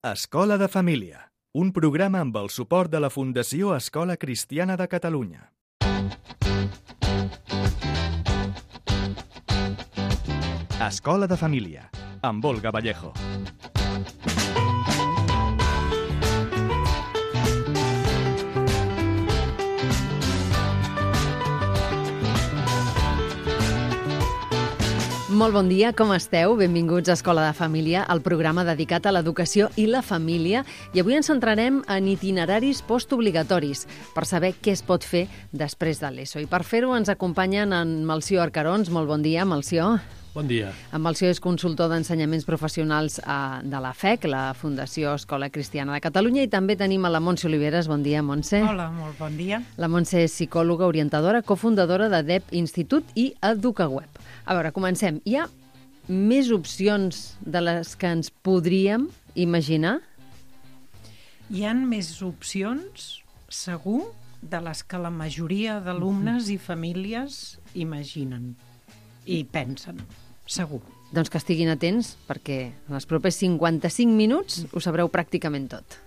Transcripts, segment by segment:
Escola de Família, un programa amb el suport de la Fundació Escola Cristiana de Catalunya. Escola de Família, amb Olga Vallejo. Molt bon dia, com esteu? Benvinguts a Escola de Família, el programa dedicat a l'educació i la família. I avui ens centrarem en itineraris postobligatoris, per saber què es pot fer després de l'ESO. I per fer-ho ens acompanyen en Melcior Arcarons. Molt bon dia, Melcior. Bon dia. En Melcior és consultor d'ensenyaments professionals de la FEC, la Fundació Escola Cristiana de Catalunya, i també tenim a la Montse Oliveres. Bon dia, Montse. Hola, molt bon dia. La Montse és psicòloga orientadora, cofundadora de DEP Institut i EducaWeb. A veure, comencem. Hi ha més opcions de les que ens podríem imaginar? Hi ha més opcions, segur, de les que la majoria d'alumnes i famílies imaginen i pensen, segur. Doncs que estiguin atents, perquè en els propers 55 minuts ho sabreu pràcticament tot.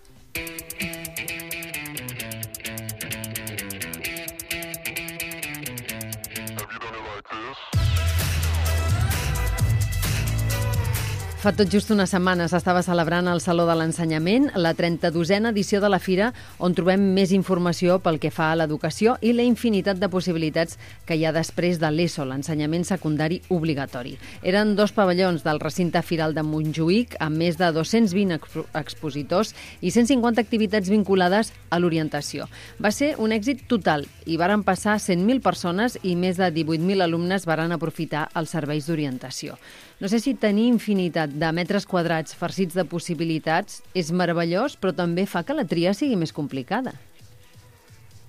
Fa tot just una setmana s'estava celebrant al Saló de l'Ensenyament la 32a edició de la fira, on trobem més informació pel que fa a l'educació i la infinitat de possibilitats que hi ha després de l'ESO, l'ensenyament secundari obligatori. Eren 2 pavellons del recinte firal de Montjuïc, amb més de 220 expositors i 150 activitats vinculades a l'orientació. Va ser un èxit total i varen passar 100.000 persones i més de 18.000 alumnes varen aprofitar els serveis d'orientació. No sé si tenir infinitat de metres quadrats farcits de possibilitats és meravellós, però també fa que la tria sigui més complicada.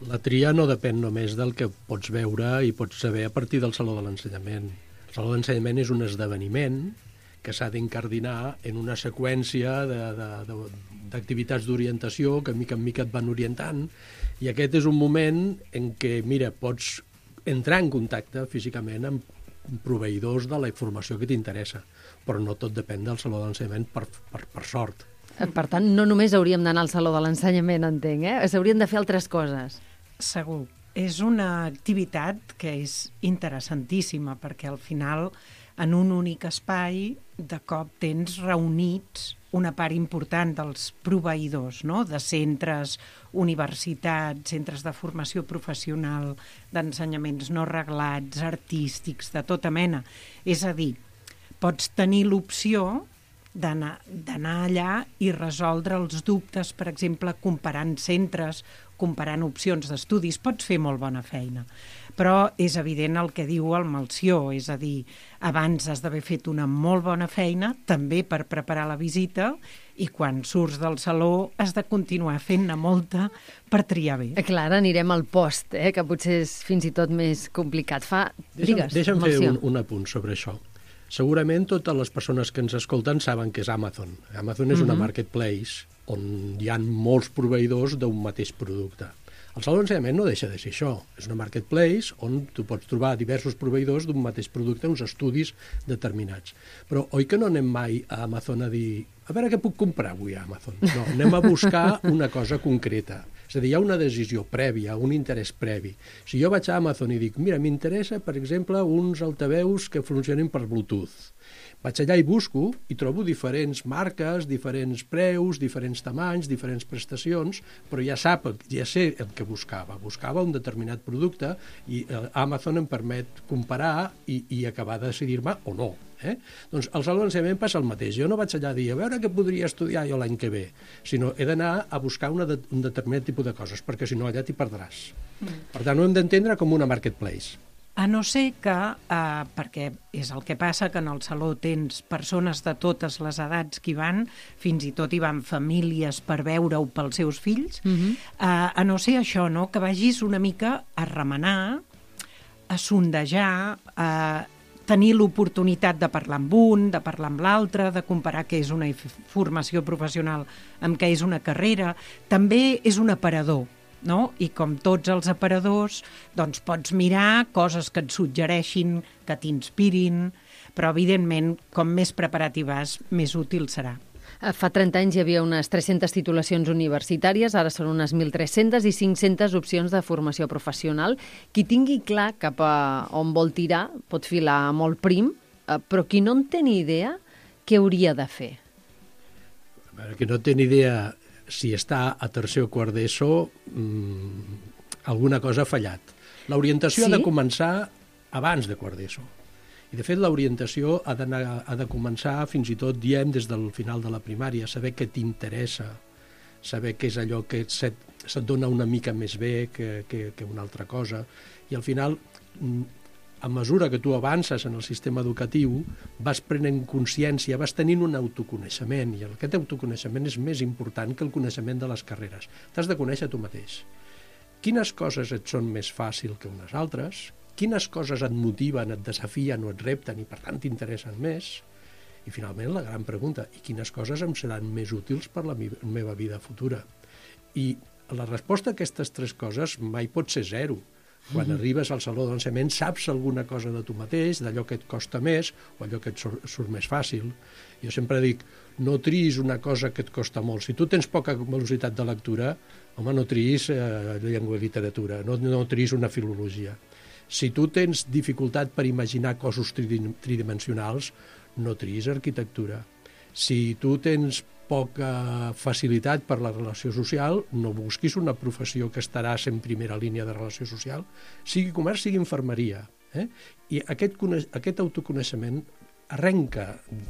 La tria no depèn només del que pots veure i pots saber a partir del Saló de l'Ensenyament. El Saló de l'Ensenyament és un esdeveniment que s'ha d'incardinar en una seqüència d'activitats d'orientació que mica en mica et van orientant, i aquest és un moment en què, mira, pots entrar en contacte físicament amb proveïdors de la informació que t'interessa, però no tot depèn del Saló de l'Ensenyament, per sort. Per tant, no només hauríem d'anar al Saló de l'Ensenyament, entenc, s'haurien de fer altres coses. Segur. És una activitat que és interessantíssima, perquè al final, en un únic espai, de cop tens reunits una part important dels proveïdors, no? De centres, universitats, centres de formació professional, d'ensenyaments no reglats, artístics, de tota mena. És a dir, pots tenir l'opció d'anar allà i resoldre els dubtes, per exemple, comparant centres, comparant opcions d'estudis. Pots fer molt bona feina. Però és evident el que diu el Melcior, és a dir, abans has d'haver fet una molt bona feina, també per preparar la visita, i quan surts del saló has de continuar fent-ne molta per triar bé. Clar, ara anirem al post, que potser és fins i tot més complicat. Deixa'm fer un apunt sobre això. Segurament totes les persones que ens escolten saben què és Amazon. Amazon és una marketplace on hi ha molts proveïdors d'un mateix producte. El Saló d'Ensenyament no deixa de ser això. És una marketplace on tu pots trobar diversos proveïdors d'un mateix producte, uns estudis determinats. Però oi que no anem mai a Amazon a dir a veure què puc comprar avui a Amazon? No, anem a buscar una cosa concreta. És a dir, hi ha una decisió prèvia, un interès previ. Si jo vaig a Amazon i dic, mira, m'interessa, per exemple, uns altaveus que funcionin per Bluetooth. Vaig allà i busco i trobo diferents marques, diferents preus, diferents tamanys, diferents prestacions, però ja sé el que buscava. Buscava un determinat producte i Amazon em permet comparar i acabar de decidir-me o no. Doncs al Saló d'Ensenyament passa el mateix. Jo no vaig allà a dir a veure què podria estudiar jo l'any que ve, sinó he d'anar a buscar un determinat tipus de coses, perquè si no allà t'hi perdràs. Per tant, ho hem d'entendre com una marketplace. A no ser que, perquè és el que passa, que en el saló tens persones de totes les edats que hi van, fins i tot hi van famílies per veure-ho pels seus fills, a no ser això, no? Que vagis una mica a remenar, a sondejar, a tenir l'oportunitat de parlar amb un, de parlar amb l'altre, de comparar què és una formació professional amb què és una carrera. També és un aparador, no? I com tots els aparadors, doncs pots mirar coses que et suggereixin, que t'inspirin, però evidentment, com més preparat hi vas, més útil serà. Fa 30 anys hi havia unes 300 titulacions universitàries, ara són unes 1.300 i 500 opcions de formació professional. Qui tingui clar cap a on vol tirar pot filar molt prim, però qui no en té ni idea, què hauria de fer? A veure, qui no té ni idea si està a tercer o quart d'ESO, alguna cosa ha fallat. L'orientació ha de començar abans de quart d'ESO. I, de fet, l'orientació ha de començar, fins i tot, diem, des del final de la primària, saber què t'interessa, saber què és allò que se't dona una mica més bé que una altra cosa. I, al final, a mesura que tu avances en el sistema educatiu, vas prenent consciència, vas tenint un autoconeixement, i aquest autoconeixement és més important que el coneixement de les carreres. T'has de conèixer tu mateix. Quines coses et són més fàcils que unes altres, quines coses et motiven, et desafien o et repten i per tant t'interessen més, i finalment la gran pregunta, i quines coses em seran més útils per la meva vida futura? I la resposta a aquestes tres coses mai pot ser zero. Quan arribes al saló d'ensenyament saps alguna cosa de tu mateix, d'allò que et costa més o allò que et surt més fàcil. Jo sempre dic, no triïs una cosa que et costa molt. Si tu tens poca velocitat de lectura, home, no triïs llengua i literatura, no triïs una filologia. Si tu tens dificultat per imaginar cossos tridimensionals, no triïs arquitectura. Si tu tens poca facilitat per la relació social, no busquis una professió que estaràs en primera línia de relació social, sigui comerç, sigui infermeria. I aquest autoconeixement arrenca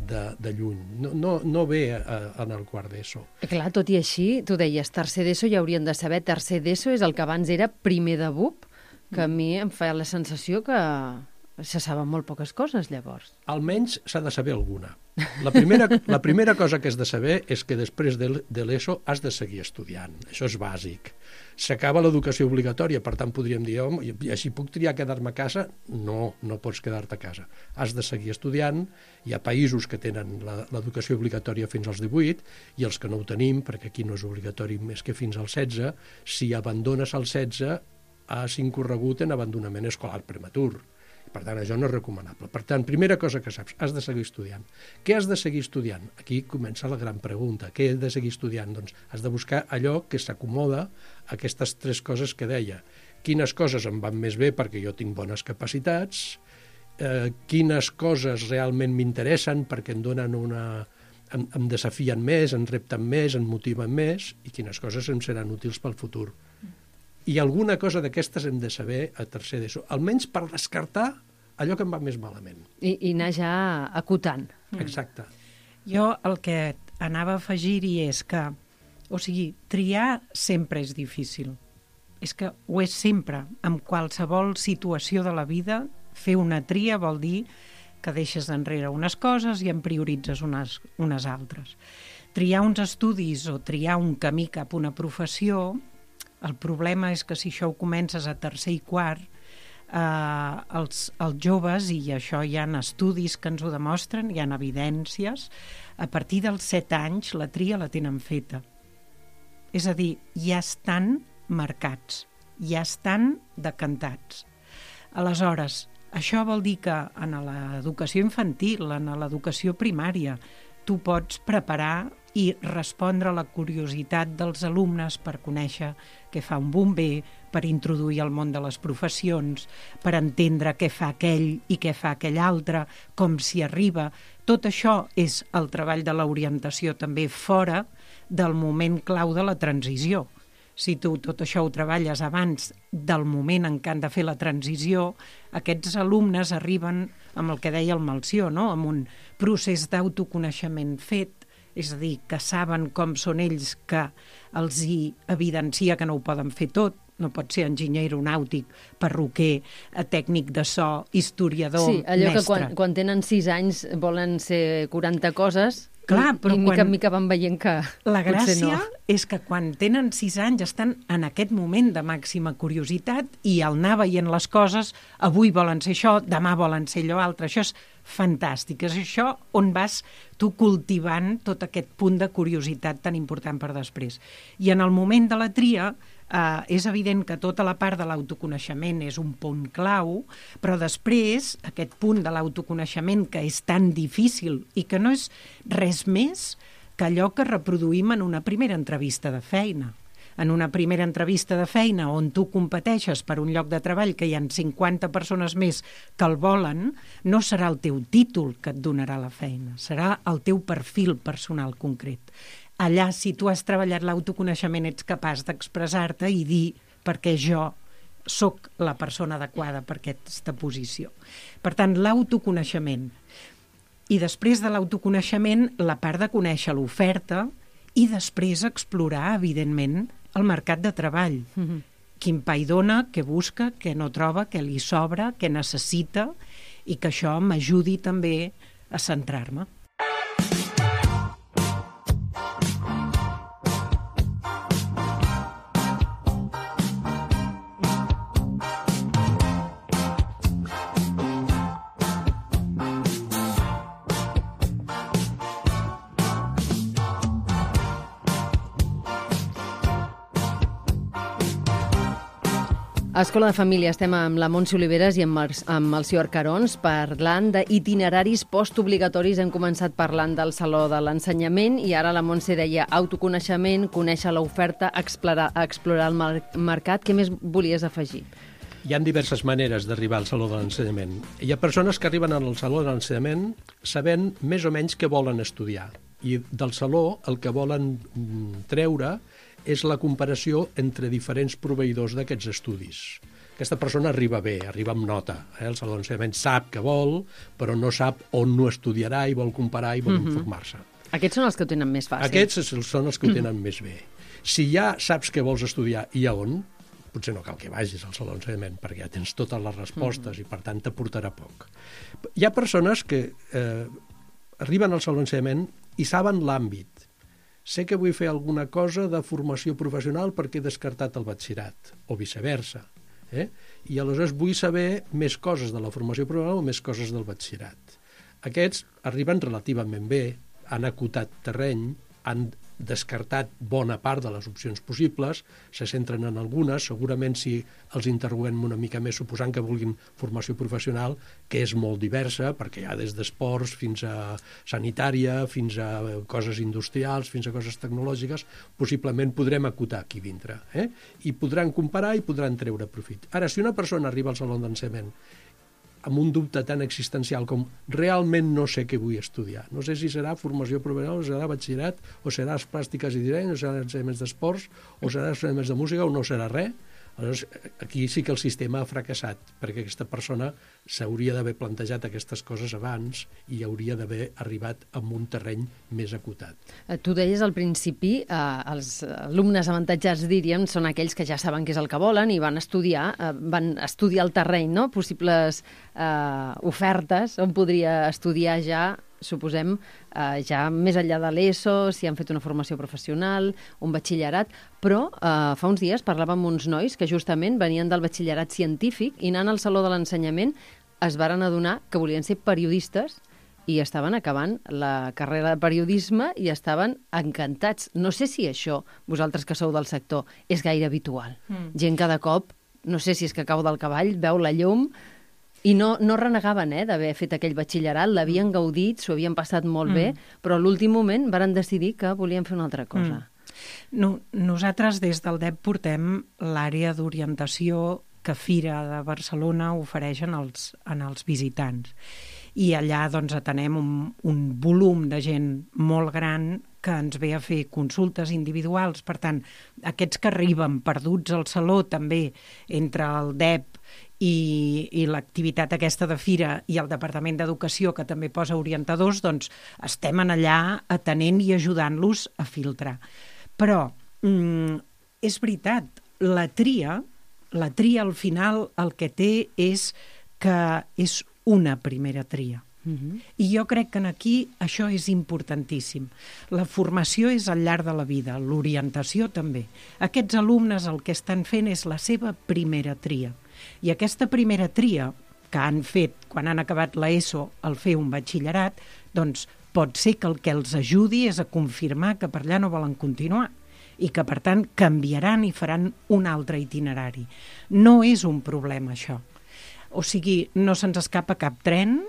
de lluny, no ve en el quart d'ESO. Clar, tot i així, tu deies tercer d'ESO, ja haurien de saber, tercer d'ESO és el que abans era primer de BUP, que a mi em fa la sensació que se saben molt poques coses, llavors. Almenys s'ha de saber alguna. La primera cosa que has de saber és que després de l'ESO has de seguir estudiant. Això és bàsic. S'acaba l'educació obligatòria, per tant podríem dir, home, així puc triar quedar-me a casa? No pots quedar-te a casa. Has de seguir estudiant. Hi ha països que tenen l'educació obligatòria fins als 18 i els que no ho tenim, perquè aquí no és obligatori més que fins als 16, si abandones als 16 has incorregut en abandonament escolar prematur. Per tant, això no és recomanable. Per tant, primera cosa que saps, has de seguir estudiant. Què has de seguir estudiant? Aquí comença la gran pregunta. Què has de seguir estudiant? Doncs has de buscar allò que s'acomoda a aquestes tres coses que deia. Quines coses em van més bé perquè jo tinc bones capacitats, quines coses realment m'interessen perquè em donen em desafien més, em repten més, em motiven més, i quines coses em seran útils pel futur. I alguna cosa d'aquestes hem de saber a tercer d'ESO, almenys per descartar allò que em va més malament. I anar ja acotant. Exacte. Jo el que anava a afegir-hi és que, o sigui, triar sempre és difícil. És que ho és sempre. En qualsevol situació de la vida, fer una tria vol dir que deixes enrere unes coses i en prioritzes unes altres. Triar uns estudis o triar un camí cap a una professió, el problema és que si això ho comences a tercer i quart, els joves, i això hi ha estudis que ens ho demostren, hi ha evidències, a partir dels 7 anys la tria la tenen feta. És a dir, ja estan marcats, ja estan decantats. Aleshores, això vol dir que en l'educació infantil, en l'educació primària, tu pots preparar i respondre a la curiositat dels alumnes per conèixer què fa un bomber, per introduir al món de les professions, per entendre què fa aquell i què fa aquell altre, com s'hi arriba. Tot això és el treball de l'orientació també fora del moment clau de la transició. Si tu tot això ho treballes abans del moment en què han de fer la transició, aquests alumnes arriben amb el que deia el Melcior, no? Amb un procés d'autoconeixement fet, és a dir, que saben com són ells, que els hi evidencia que no ho poden fer tot, no pot ser enginyer aeronàutic, perruquer, tècnic de so, historiador, mestre. Sí, allò mestre. Que quan tenen 6 anys volen ser 40 coses. Clar, però mica en mica van veient que la gràcia no. És que quan tenen 6 anys estan en aquest moment de màxima curiositat i al anar veient les coses, avui volen ser això, demà volen ser allò altre. Això és fantàstic. És això on vas tu cultivant tot aquest punt de curiositat tan important per després. I en el moment de la tria és evident que tota la part de l'autoconeixement és un punt clau, però després aquest punt de l'autoconeixement que és tan difícil i que no és res més que allò que reproduïm en una primera entrevista de feina. En una primera entrevista de feina on tu competeixes per un lloc de treball que hi ha 50 persones més que el volen, no serà el teu títol que et donarà la feina, serà el teu perfil personal concret. Allà, si tu has treballat l'autoconeixement, ets capaç d'expressar-te i dir perquè jo sóc la persona adequada per aquesta posició. Per tant, l'autoconeixement. I després de l'autoconeixement, la part de conèixer l'oferta i després explorar, evidentment, el mercat de treball. Quin pa hi dona, què busca, què no troba, què li sobra, què necessita, i que això m'ajudi també a centrar-me. A Escola de Família estem amb la Montse Oliveres i amb el Sió Arcarons parlant d'itineraris postobligatoris. Hem començat parlant del Saló de l'Ensenyament i ara la Montse deia autoconeixement, conèixer l'oferta, explorar el mercat. Què més volies afegir? Hi ha diverses maneres d'arribar al Saló de l'Ensenyament. Hi ha persones que arriben al Saló de l'Ensenyament sabent més o menys què volen estudiar. I del Saló el que volen treure és la comparació entre diferents proveïdors d'aquests estudis. Aquesta persona arriba bé, arriba amb nota. El Saló de l'Ensenyament sap què vol, però no sap on no estudiarà i vol comparar i vol informar-se. Aquests són els que ho tenen més fàcil. Aquests són els que ho tenen més bé. Si ja saps què vols estudiar i a on, potser no cal que vagis al Saló de l'Ensenyament, perquè ja tens totes les respostes i, per tant, t'aportarà poc. Hi ha persones que arriben al Saló de l'Ensenyament i saben l'àmbit. Sé que vull fer alguna cosa de formació professional perquè he descartat el batxillerat, o viceversa. I aleshores vull saber més coses de la formació professional o més coses del batxillerat. Aquests arriben relativament bé, han acotat terreny, han descartat bona part de les opcions possibles, se centren en algunes, segurament si els interroguem una mica més, suposant que vulguin formació professional, que és molt diversa, perquè hi ha des d'esports fins a sanitària, fins a coses industrials, fins a coses tecnològiques, possiblement podrem acotar aquí dintre. I podran comparar i podran treure profit. Ara, si una persona arriba al Saló d'Ensenyament amb un dubte tan existencial com realment no sé què vull estudiar. No sé si serà formació professional, o serà batxillerat, o serà les plàstiques i disseny, o serà ensenyaments d'esports, o serà ensenyaments de música, o no serà res. Aleshores, aquí sí que el sistema ha fracassat, perquè aquesta persona s'hauria d'haver plantejat aquestes coses abans i hauria d'haver arribat a un terreny més acotat. Tu deies al principi, els alumnes avantatjats, diríem, són aquells que ja saben què és el que volen i van estudiar el terreny, no? Possibles ofertes on podria estudiar ja, suposem, ja més enllà de l'ESO, si han fet una formació professional, un batxillerat, però fa uns dies parlàvem amb uns nois que justament venien del batxillerat científic i anant al Saló de l'Ensenyament es varen adonar que volien ser periodistes i estaven acabant la carrera de periodisme i estaven encantats. No sé si això, vosaltres que sou del sector, és gaire habitual. Gent cada cop, no sé si és que cau del cavall, veu la llum. I no renegaven d'haver fet aquell batxillerat, l'havien gaudit, s'ho havien passat molt bé, però a l'últim moment varen decidir que volien fer una altra cosa. Nosaltres des del DEP portem l'àrea d'orientació que Fira de Barcelona ofereix en els visitants. I allà atenem un volum de gent molt gran que ens ve a fer consultes individuals. Per tant, aquests que arriben perduts al saló també entre el DEP i l'activitat aquesta de Fira i el Departament d'Educació, que també posa orientadors, doncs estem allà atenent i ajudant-los a filtrar. Però és veritat, la tria al final el que té és que és una primera tria. I jo crec que aquí això és importantíssim. La formació és al llarg de la vida, l'orientació també. Aquests alumnes el que estan fent és la seva primera tria. I aquesta primera tria que han fet quan han acabat l'ESO al fer un batxillerat, doncs pot ser que el que els ajudi és a confirmar que per allà no volen continuar i que, per tant, canviaran i faran un altre itinerari. No és un problema, això. O sigui, no se'ns escapa cap tren,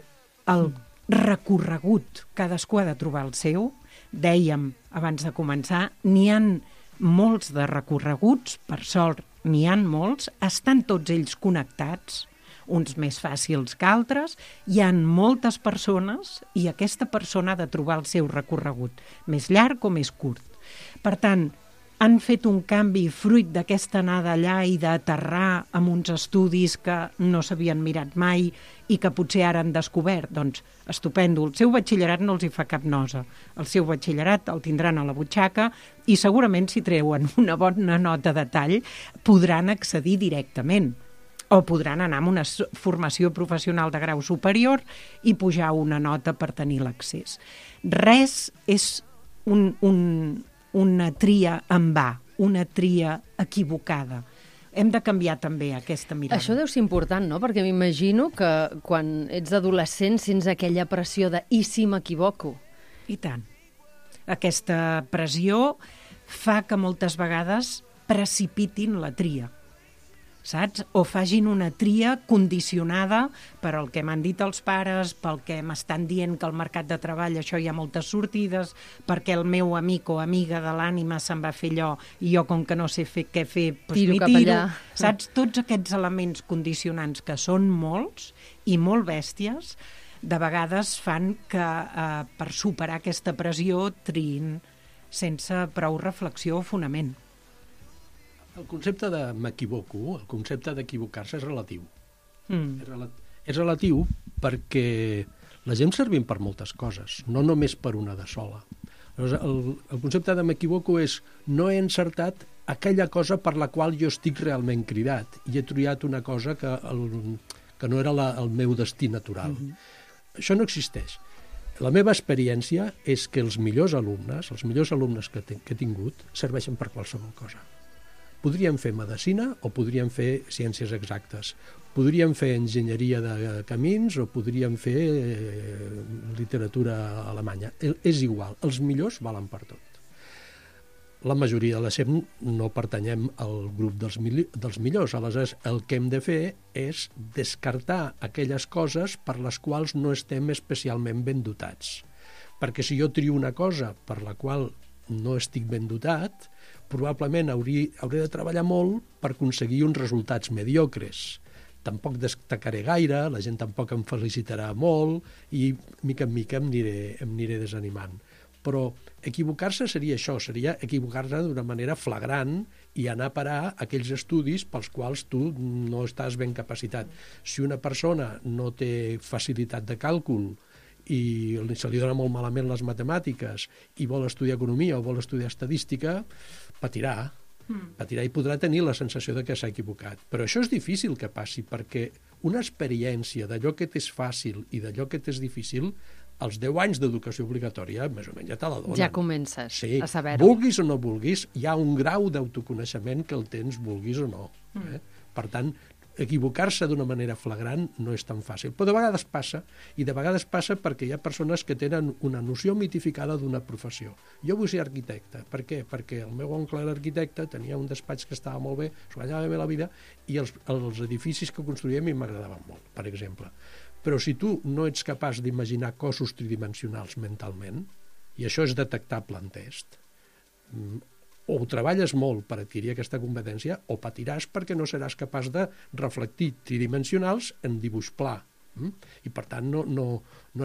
el recorregut, cadascú ha de trobar el seu, dèiem abans de començar, n'hi han molts de recorreguts, per sort n'hi han molts, estan tots ells connectats, uns més fàcils que altres, hi han moltes persones i aquesta persona ha de trobar el seu recorregut, més llarg o més curt. Per tant, han fet un canvi fruit d'aquesta anada allà i d'aterrar amb uns estudis que no s'havien mirat mai i que potser ara han descobert. Doncs estupendo, el seu batxillerat no els hi fa cap nosa. El seu batxillerat el tindran a la butxaca i segurament si treuen una bona nota de tall podran accedir directament o podran anar a una formació professional de grau superior i pujar una nota per tenir l'accés. Res és una tria en va, una tria equivocada. Hem de canviar també aquesta mirada. Això deu ser important, no? Perquè m'imagino que quan ets adolescent sents aquella pressió de i si m'equivoco? I tant. Aquesta pressió fa que moltes vegades precipitin la tria, saps? O facin una tria condicionada per el que m'han dit els pares, pel que m'estan dient que al mercat de treball això hi ha moltes sortides, perquè el meu amic o amiga de l'ànima se'n va fer allò i jo com que no sé què fer, doncs tiro m'hi cap tiro. allà. Saps? Tots aquests elements condicionants que són molts i molt bèsties, de vegades fan que per superar aquesta pressió triïn sense prou reflexió o fonament. El concepte de m'equivoco, el concepte d'equivocar-se és relatiu. És relatiu perquè la gent servim per moltes coses, no només per una de sola. El concepte de m'equivoco és no he encertat aquella cosa per la qual jo estic realment cridat i he triat una cosa que no era el meu destí natural. Això no existeix. La meva experiència és que els millors alumnes que he tingut, serveixen per qualsevol cosa. Podríem fer medicina o podríem fer ciències exactes. Podríem fer enginyeria de camins o podríem fer literatura alemanya. És igual, els millors valen per tot. La majoria de la SEM no pertanyem al grup dels millors, aleshores el que hem de fer és descartar aquelles coses per les quals no estem especialment ben dotats. Perquè si jo trio una cosa per la qual no estic ben dotat, probablement hauré de treballar molt per aconseguir uns resultats mediocres. Tampoc destacaré gaire, la gent tampoc em felicitarà molt i mica en mica em aniré desanimant. Però equivocar-se seria això, seria equivocar-se d'una manera flagrant i anar a parar aquells estudis pels quals tu no estàs ben capacitat. Si una persona no té facilitat de càlcul i se li dona molt malament les matemàtiques i vol estudiar economia o vol estudiar estadística, patirà i podrà tenir la sensació de que s'ha equivocat. Però això és difícil que passi, perquè una experiència d'allò que t'és fàcil i d'allò que t'és difícil, als 10 anys d'educació obligatòria, més o menys ja te la donen. Ja comences a saber-ho. Vulguis o no vulguis, hi ha un grau d'autoconeixement que el tens, vulguis o no. Per tant, equivocar-se d'una manera flagrant no és tan fàcil. Però de vegades passa, i de vegades passa perquè hi ha persones que tenen una noció mitificada d'una professió. Jo vull ser arquitecte. Per què? Perquè el meu oncle era arquitecte, tenia un despatx que estava molt bé, s'ho guanyava bé la vida, i els edificis que construïem m'agradaven molt, per exemple. Però si tu no ets capaç d'imaginar cossos tridimensionals mentalment, i això és detectable en test, o treballes molt per adquirir aquesta competència o patiràs perquè no seràs capaç de reflectir tridimensionals en dibuix pla. I per tant no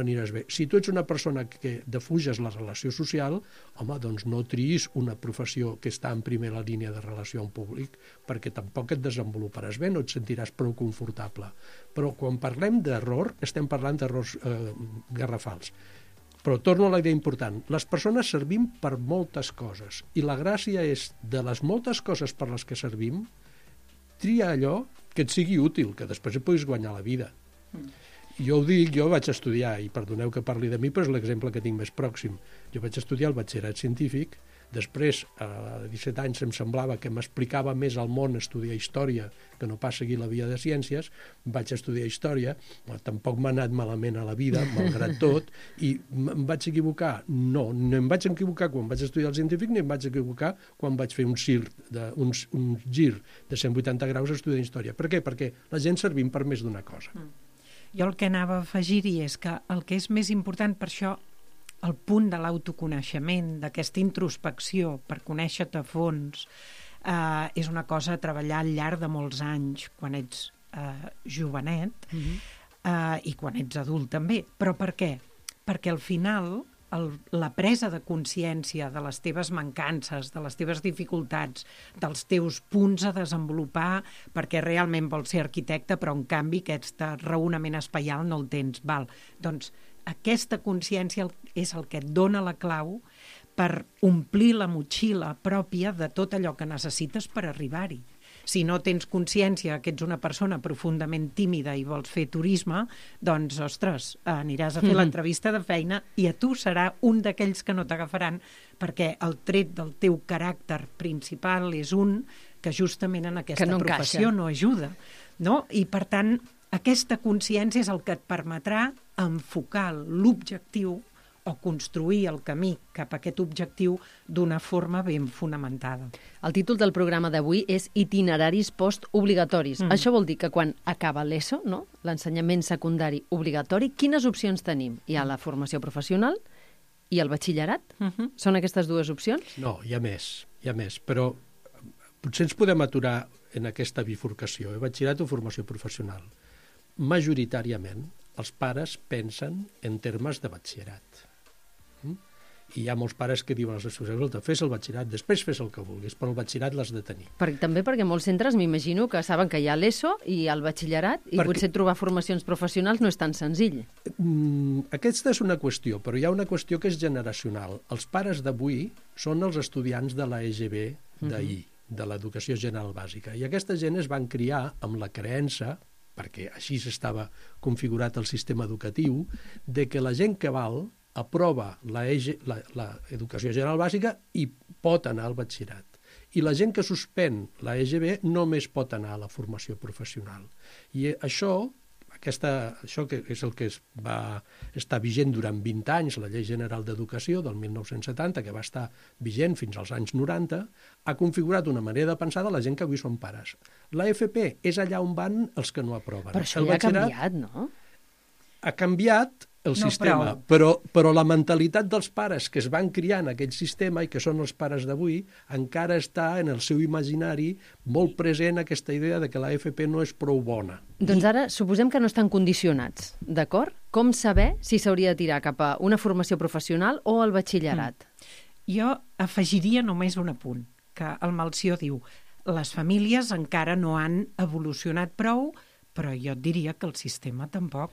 aniràs bé. Si tu ets una persona que defuges la relació social, home, doncs no triïs una professió que està en primera línia de relació amb públic, perquè tampoc et desenvoluparàs bé, no et sentiràs prou confortable. Però quan parlem d'error, estem parlant d'errors garrafals. Però torno a la idea important. Les persones servim per moltes coses i la gràcia és, de les moltes coses per les que servim, tria allò que et sigui útil, que després et puguis guanyar la vida. Jo ho dic, jo vaig estudiar, i perdoneu que parli de mi, però és l'exemple que tinc més pròxim. Jo vaig estudiar el batxillerat científic, després, a 17 anys, em semblava que m'explicava més al món estudiar història que no pas seguir la via de ciències, vaig estudiar història, tampoc m'ha anat malament a la vida, malgrat tot, i em vaig equivocar? No em vaig equivocar quan vaig estudiar el científic, ni em vaig equivocar quan vaig fer un gir de 180 graus a estudiar història. Per què? Perquè la gent servim per més d'una cosa. Jo el que anava a afegir-hi és que el que és més important, per això el punt de l'autoconeixement, d'aquesta introspecció per conèixer-te a fons, és una cosa a treballar al llarg de molts anys, quan ets jovenet i quan ets adult també. Però per què? Perquè al final la presa de consciència de les teves mancances, de les teves dificultats, dels teus punts a desenvolupar, perquè realment vols ser arquitecte, però en canvi aquest raonament espaial no el tens. Doncs aquesta consciència és el que et dona la clau per omplir la motxilla pròpia de tot allò que necessites per arribar-hi. Si no tens consciència que ets una persona profundament tímida i vols fer turisme, doncs, ostres, aniràs a fer l'entrevista de feina i a tu serà un d'aquells que no t'agafaran, perquè el tret del teu caràcter principal és un que justament en aquesta professió no ajuda. No? I, per tant, aquesta consciència és el que et permetrà enfocar l'objectiu o construir el camí cap a aquest objectiu d'una forma ben fonamentada. El títol del programa d'avui és Itineraris postobligatoris. Això vol dir que quan acaba l'ESO, no? L'ensenyament secundari obligatori, quines opcions tenim? Hi ha la formació professional i el batxillerat? Són aquestes dues opcions? No, hi ha més, però potser ens podem aturar en aquesta bifurcació, batxillerat o formació professional. Majoritàriament, els pares pensen en termes de batxillerat. I hi ha molts pares que diuen als seus fills, fes el batxillerat, després fes el que vulguis, però el batxillerat l'has de tenir. També perquè molts centres m'imagino que saben que hi ha l'ESO i el batxillerat i potser trobar formacions professionals no és tan senzill. Aquesta és una qüestió, però hi ha una qüestió que és generacional. Els pares d'avui són els estudiants de la EGB d'ahir, de l'educació general bàsica, i aquesta gent es van criar amb la creença, perquè així s'estava configurat el sistema educatiu, de que la gent que val aprova l'educació general bàsica i pot anar al batxillerat. I la gent que suspèn la EGB només pot anar a la formació professional. I això que és el que va estar vigent durant 20 anys, la Llei General d'Educació del 1970, que va estar vigent fins als anys 90, ha configurat una manera de pensar de la gent que avui són pares. La FP és allà on van els que no aproven. Però això ja ha canviat, no? Ha canviat el sistema, però la mentalitat dels pares que es van criar en aquell sistema i que són els pares d'avui encara està en el seu imaginari molt present aquesta idea de que la FP no és prou bona. Doncs ara suposem que no estan condicionats, d'acord? Com saber si s'hauria de tirar cap a una formació professional o al batxillerat? Jo afegiria només un apunt, que el Melcior diu les famílies encara no han evolucionat prou, però jo et diria que el sistema tampoc.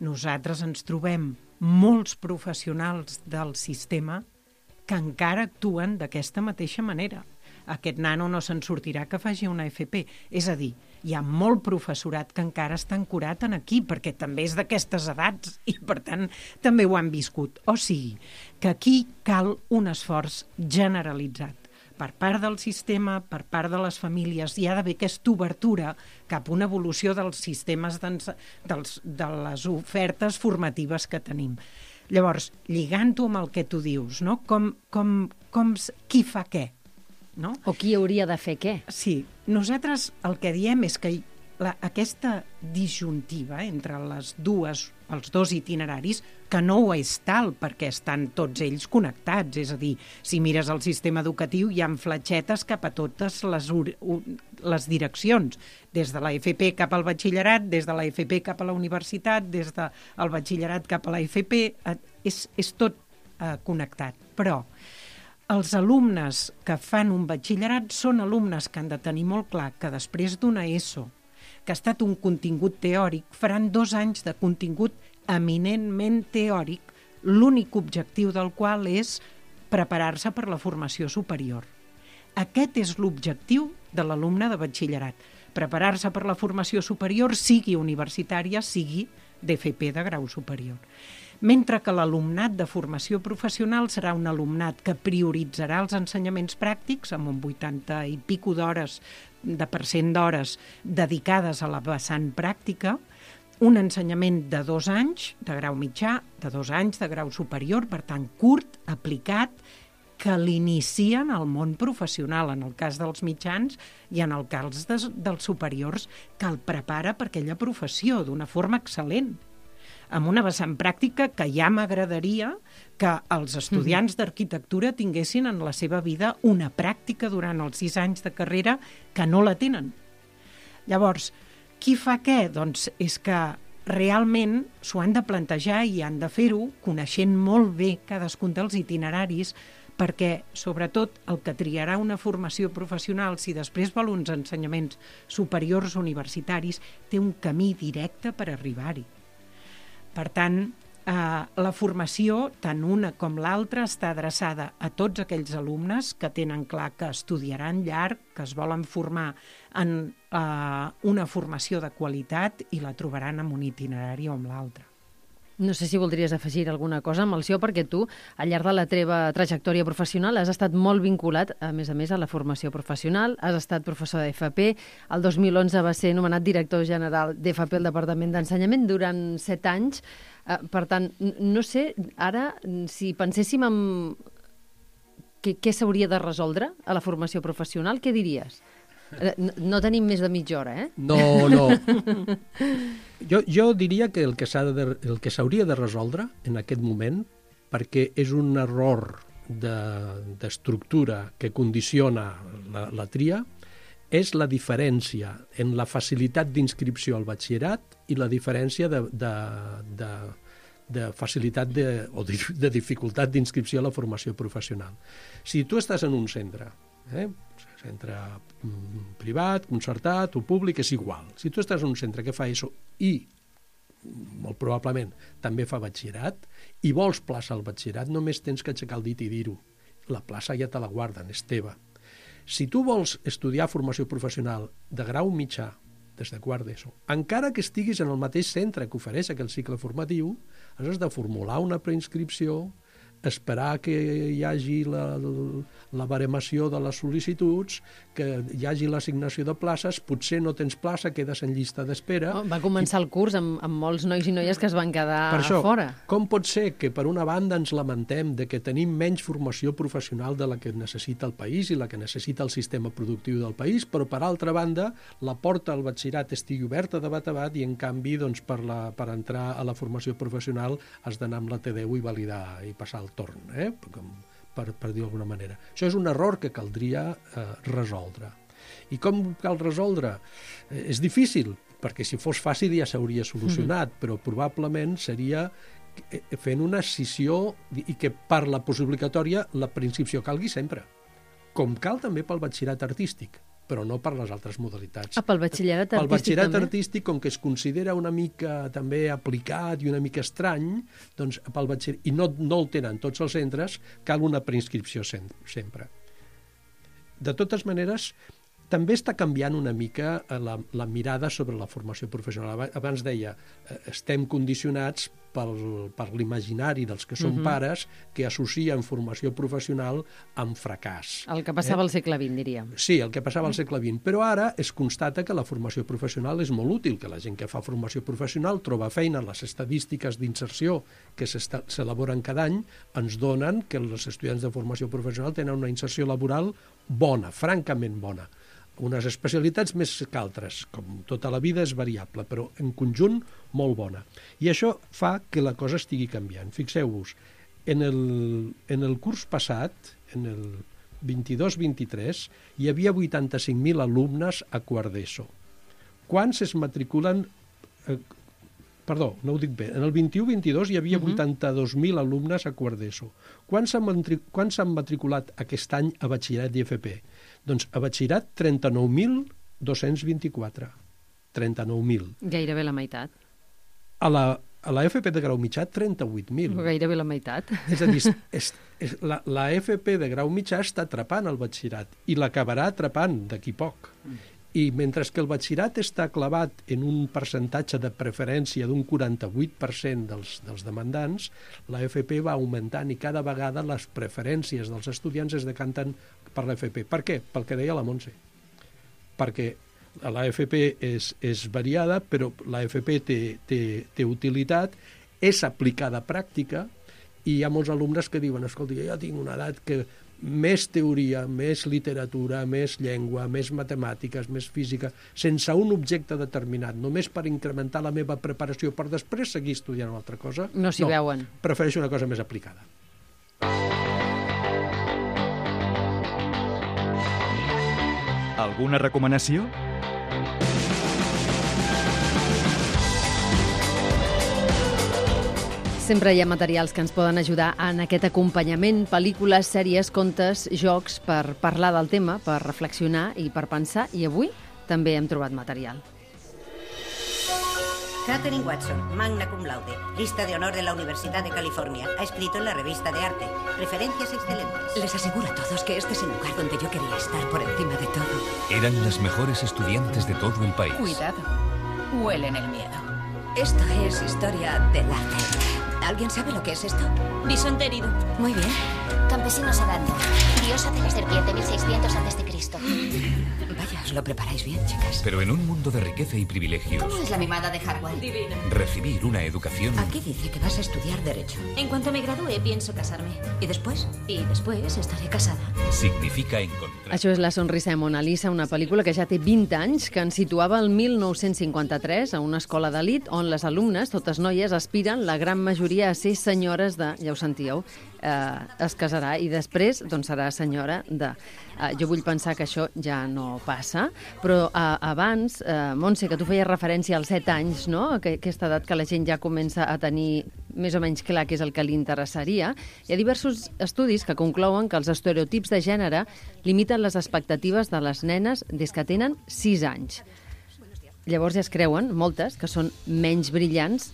Nosaltres ens trobem molts professionals del sistema que encara actuen d'aquesta mateixa manera. Aquest nano no se'n sortirà que faci una FP. És a dir, hi ha molt professorat que encara està ancorat en aquí, perquè també és d'aquestes edats i, per tant, també ho han viscut. O sigui, que aquí cal un esforç generalitzat per part del sistema, per part de les famílies. Hi ha d'haver aquesta obertura cap a una evolució dels sistemes de les ofertes formatives que tenim. Llavors, lligant-ho amb el que tu dius, no? Qui fa què? No? O qui hauria de fer què? Sí, nosaltres el que diem és que aquesta disjuntiva entre els dos itineraris, que no ho és tal perquè estan tots ells connectats, és a dir, si mires el sistema educatiu hi ha fletxetes cap a totes les direccions, des de la FP cap al batxillerat, des de la FP cap a la universitat, des del batxillerat cap a la FP, és tot connectat. Però els alumnes que fan un batxillerat són alumnes que han de tenir molt clar que després d'una ESO, que ha estat un contingut teòric, faran 2 anys de contingut eminentment teòric, l'únic objectiu del qual és preparar-se per la formació superior. Aquest és l'objectiu de l'alumne de batxillerat, preparar-se per la formació superior, sigui universitària, sigui d'FP de grau superior. Mentre que l'alumnat de formació professional serà un alumnat que prioritzarà els ensenyaments pràctics amb un 80 i pico d'hores dedicades a la vessant pràctica, un ensenyament de 2 anys de grau mitjà, de 2 anys de grau superior, per tant curt, aplicat, que l'inicien al món professional, en el cas dels mitjans i en el cas dels superiors, que el prepara per aquella professió d'una forma excel·lent. amb una vessant pràctica que ja m'agradaria que els estudiants d'arquitectura tinguessin en la seva vida una pràctica durant els 6 anys de carrera que no la tenen. Llavors, qui fa què? Doncs és que realment s'ho han de plantejar i han de fer-ho coneixent molt bé cadascun dels itineraris, perquè, sobretot, el que triarà una formació professional, si després vol uns ensenyaments superiors universitaris, té un camí directe per arribar-hi. Per tant, la formació, tant una com l'altra, està adreçada a tots aquells alumnes que tenen clar que estudiaran llarg, que es volen formar en una formació de qualitat i la trobaran en un itinerari o amb l'altre. No sé si voldries afegir alguna cosa, Melcior, perquè tu, al llarg de la teva trajectòria professional, has estat molt vinculat, a més, a la formació professional, has estat professor d'FP, el 2011 va ser nomenat director general d'FP al Departament d'Ensenyament durant 7 anys. Per tant, no sé, ara, si penséssim en què s'hauria de resoldre a la formació professional, què diries? No tenim més de mitja hora, eh? No. Jo diria que el que s'hauria de resoldre en aquest moment, perquè és un error d'estructura que condiciona la tria, és la diferència en la facilitat d'inscripció al batxillerat i la diferència de facilitat o de dificultat d'inscripció a la formació professional. Si tu estàs en un centre, centre privat, concertat o públic, és igual. Si tu estàs en un centre que fa ESO i, molt probablement, també fa batxillerat i vols plaça al batxillerat, només tens que aixecar el dit i dir-ho. La plaça ja te la guarden, és teva. Si tu vols estudiar formació professional de grau mitjà, des de quart d'ESO, encara que estiguis en el mateix centre que ofereix aquell cicle formatiu, has de formular una preinscripció, esperar que hi hagi la baremació de les sol·licituds, que hi hagi l'assignació de places, potser no tens plaça, quedes en llista d'espera. Va començar el curs amb molts nois i noies que es van quedar fora. Com pot ser que per una banda ens lamentem de que tenim menys formació professional de la que necessita el país i la que necessita el sistema productiu del país, però per altra banda la porta al batxillerat estigui oberta de bat a bat i en canvi per entrar a la formació professional has d'anar amb la T10 i validar i passar el torn, per dir-ho d'alguna manera. Això és un error que caldria resoldre. I com cal resoldre? És difícil, perquè si fos fàcil ja s'hauria solucionat, però probablement seria fent una escissió i que per la postobligatòria la preinscripció calgui sempre, com cal també pel batxillerat artístic, però no per les altres modalitats. Pel batxillerat artístic també? Pel batxillerat artístic, com que es considera una mica també aplicat i una mica estrany, doncs i no el tenen tots els centres, cal una preinscripció sempre. De totes maneres, també està canviant una mica la mirada sobre la formació professional. Abans deia, estem condicionats per l'imaginari dels que són pares que associen formació professional amb fracàs. El que passava al segle XX, diríem. Sí, el que passava al segle XX. Però ara es constata que la formació professional és molt útil, que la gent que fa formació professional troba feina. Les estadístiques d'inserció que s'elaboren cada any ens donen que els estudiants de formació professional tenen una inserció laboral bona, francament bona. Unes especialitats més que altres, com tota la vida és variable, però en conjunt molt bona. I això fa que la cosa estigui canviant. Fixeu-vos, en el curs passat, en el 22-23, hi havia 85.000 alumnes a quart d'ESO. Quants es matriculen... Perdó, no ho dic bé. En el 21-22 hi havia 82.000 alumnes a quart d'ESO. Quants s'han matriculat aquest any a batxillerat i FP? Doncs a batxillerat 39.224. 39.000. Gairebé la meitat. A la FP de grau mitjà 38.000. Gairebé la meitat. És a dir, la FP de grau mitjà està atrapant el batxillerat i l'acabarà atrapant d'aquí poc. I mentre que el batxillerat està clavat en un percentatge de preferència d'un 48% dels demandants, la FP va augmentant i cada vegada les preferències dels estudiants es decanten per la FP. Per què? Pel que deia la Montse. Perquè la FP és variada, però la FP té utilitat, és aplicada a pràctica, i hi ha molts alumnes que diuen, escolta, jo tinc una edat que més teoria, més literatura, més llengua, més matemàtiques, més física, sense un objecte determinat, només per incrementar la meva preparació per després seguir estudiant una altra cosa. No s'hi veuen. Prefereixo una cosa més aplicada. Alguna recomanació? Sempre hi ha materials que ens poden ajudar en aquest acompanyament, pel·lícules, sèries, contes, jocs, per parlar del tema, per reflexionar i per pensar, i avui també hem trobat material. Katherine Watson, magna cum laude, lista de honor de la Universidad de California. Ha escrito en la revista de arte. Referencias excelentes. Les aseguro a todos que este es el lugar donde yo quería estar por encima de todo. Eran las mejores estudiantes de todo el país. Cuidado, huelen el miedo. Esto es historia del arte. ¿Alguien sabe lo que es esto? Bisonte herido. Muy bien. Campesinos adando. Diosa de la serpiente, 1600 a.C. Vaya, os lo preparáis bien, chicas. Pero en un mundo de riqueza y privilegios, ¿Cómo es la mimada de Hartwell? Divina. recibir una educación Aquí dice que vas a estudiar Derecho. En cuanto me gradúe, pienso casarme. ¿Y después? Y después estaré casada. significa encontrar... Això és La sonrisa de Mona Lisa, una pel·lícula que ja té 20 anys, que ens situava el 1953 a una escola d'elit on les alumnes, totes noies, aspiren, la gran majoria, a ser senyores de... Ja ho sentíeu, es casarà i després doncs, serà senyora de... Jo vull pensar que això ja no passa, però abans, Montse, que tu feies referència als 7 anys, no? Aquesta edat que la gent ja comença a tenir més o menys clar què és el que li interessaria, hi ha diversos estudis que conclouen que els estereotips de gènere limiten les expectatives de les nenes des que tenen 6 anys. Llavors ja es creuen, moltes, que són menys brillants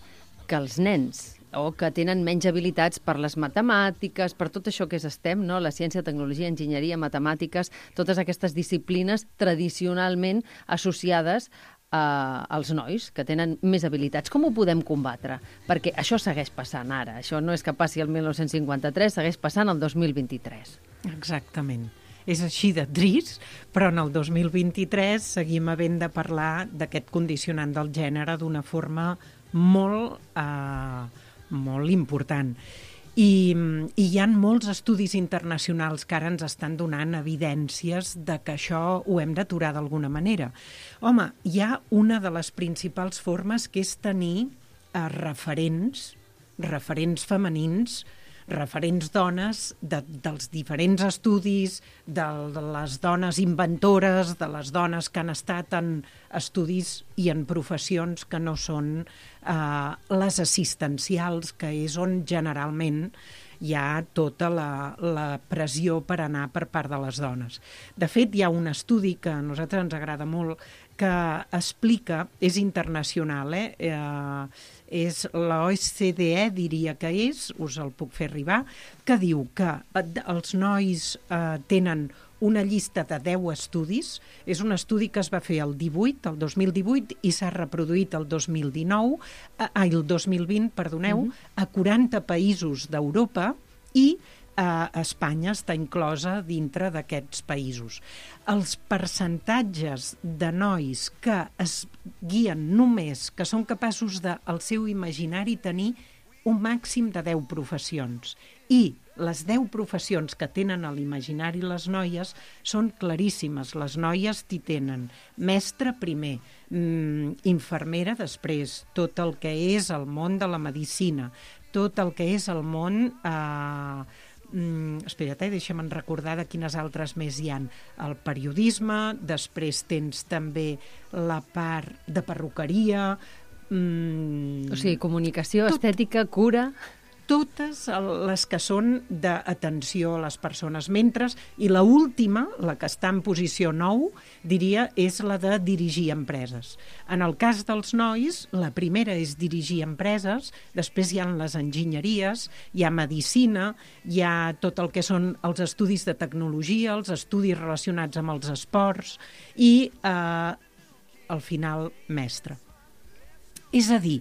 que els nens, o que tenen menys habilitats per les matemàtiques, per tot això que és STEM, no? La ciència, tecnologia, enginyeria, matemàtiques, totes aquestes disciplines tradicionalment associades als nois, que tenen més habilitats. Com ho podem combatre? Perquè això segueix passant ara. Això no és que passi el 1953, segueix passant el 2023. Exactament. És així de trist, però en el 2023 seguim havent de parlar d'aquest condicionant del gènere d'una forma molt important. I hi ha molts estudis internacionals que ara ens estan donant evidències de que això ho hem d'aturar d'alguna manera. Home, hi ha una de les principals formes que és tenir referents femenins, referents dones dels diferents estudis, de les dones inventores, de les dones que han estat en estudis i en professions que no són les assistencials, que és on generalment hi ha tota la pressió per anar per part de les dones. De fet, hi ha un estudi que a nosaltres ens agrada molt, que explica, és internacional, és l'OCDE, diria que és, us el puc fer arribar, que diu que els nois tenen una llista de 10 estudis, és un estudi que es va fer el 2018 i s'ha reproduït el 2020, a 40 països d'Europa i Espanya està inclosa dintre d'aquests països. Els percentatges de nois que es guien només, que són capaços del seu imaginari tenir un màxim de 10 professions. I les 10 professions que tenen a l'imaginari les noies són claríssimes. Les noies t'hi tenen mestre primer, infermera després, tot el que és el món de la medicina, tot el que és el món... espera't, deixa'm recordar de quines altres més hi ha. El periodisme, després tens també la part de perruqueria... O sigui, comunicació, estètica, cura... Totes les que són d'atenció a les persones. I l'última, la que està en posició 9, diria, és la de dirigir empreses. En el cas dels nois, la primera és dirigir empreses, després hi ha les enginyeries, hi ha medicina, hi ha tot el que són els estudis de tecnologia, els estudis relacionats amb els esports i, al final, mestre. És a dir,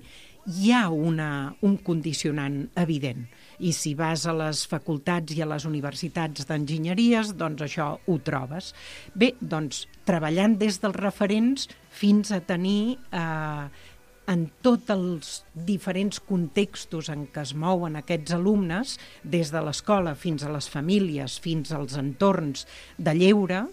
hi ha un condicionant evident i si vas a les facultats i a les universitats d'enginyeries, doncs això ho trobes. Bé, doncs treballant des dels referents fins a tenir en tots els diferents contextos en què es mouen aquests alumnes, des de l'escola fins a les famílies, fins als entorns de lleure,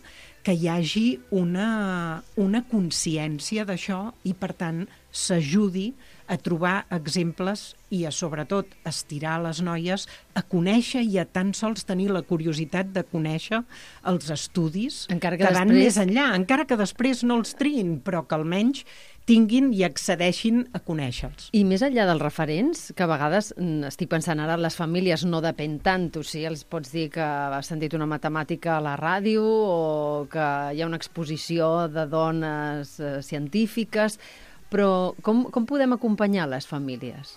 que hi hagi una consciència d'això i, per tant, s'ajudi a trobar exemples i a, sobretot, estirar les noies a conèixer i a tan sols tenir la curiositat de conèixer els estudis que van més enllà, encara que després no els triïn, però que almenys tinguin i accedeixin a conèixer-los. I més enllà dels referents, que a vegades, estic pensant ara, les famílies no depèn tant, o sigui, els pots dir que has sentit una matemàtica a la ràdio o que hi ha una exposició de dones científiques, però com podem acompanyar les famílies?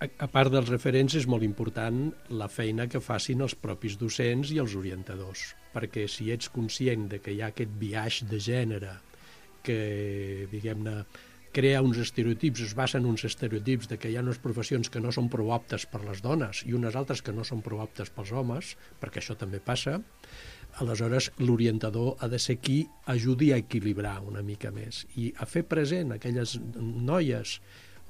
A part dels referents, és molt important la feina que facin els propis docents i els orientadors, perquè si ets conscient de que hi ha aquest biaix de gènere que, diguem-ne, crea uns estereotips, es basa en uns estereotips de que hi ha unes professions que no són prou aptes per les dones i unes altres que no són prou aptes pels homes, perquè això també passa, aleshores l'orientador ha de ser qui ajudi a equilibrar una mica més i a fer present aquelles noies